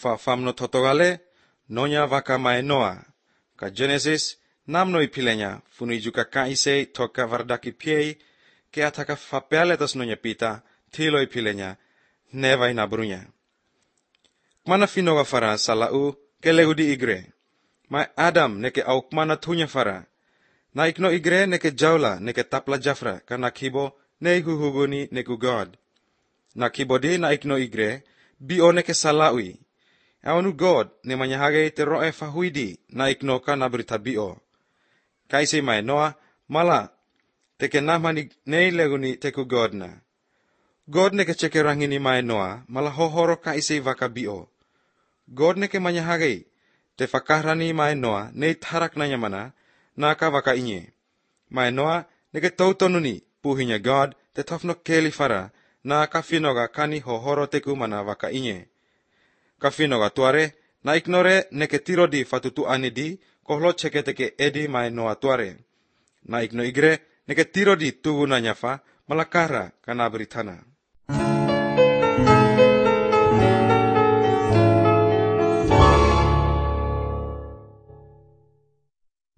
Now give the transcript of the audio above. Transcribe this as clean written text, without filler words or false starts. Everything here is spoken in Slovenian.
fa famno totogale, nonya vaka mae Noa. Ka Genesis, namno ipilenya, funui juga kaise toka vardaki piei, ke ataka fapeale tas nonya pita, tilo ipilenya, neva inabrunya. Mana finoga fara salau, ke leudi igre. Mai Adam neke auk mana tunya fara. Na ikno igre neke jaula neke tapla jafra, kana kibo ne huhuguni neku God. Na kibo di na ikno igre, bio neke salaui. Awanu God ne manyahage te roe fahuidi na ikno ka na berita bio. Kaisi mai Noa mala teke namani nei leguni teku God na. God neke ceke rangini mai Noa mala hohoro kaisi vaka bio. God neke manyahage te fakahrani mai Noa nei tarak nanya mana na ka vaka inye. Mai Noa neke tautonuni puhinya God te tofno keli fara na ka finoga kani hohoro teku mana vaka inye. Ka finoga tuare na ignore neke tiro di fatutu anidi kohlo ceke teke edi mai Noa tuare. Na igno igre neke tiro di tugu na nyafa malakara kana beritana.